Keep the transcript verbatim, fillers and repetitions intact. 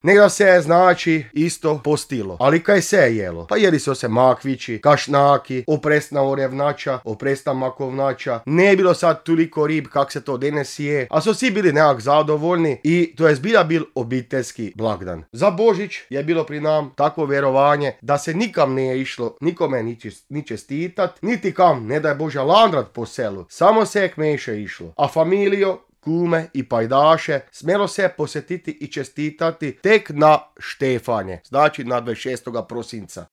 Nego se je, znači, isto postilo. Ali kaj se je jelo? Pa jeli su se makvići, kašnaki, opresna orevnača, opresna makovnača. Ne je bilo sad toliko rib kak se to danes je, a su svi bili nekak zadovoljni i to je zbilja bil obiteljski blagdan. Za Božić je bilo pri nam takvo vjerovanje da se nikam ne je išlo, nikome ni, čest, ni čestitat, niti kam, ne daj Bože, landrat po selu. Samo se je k meše išlo. A familijo, kume i pajdaše smjelo se posjetiti i čestitati tek na Štefanje, znači na dvadeset šestog prosinca.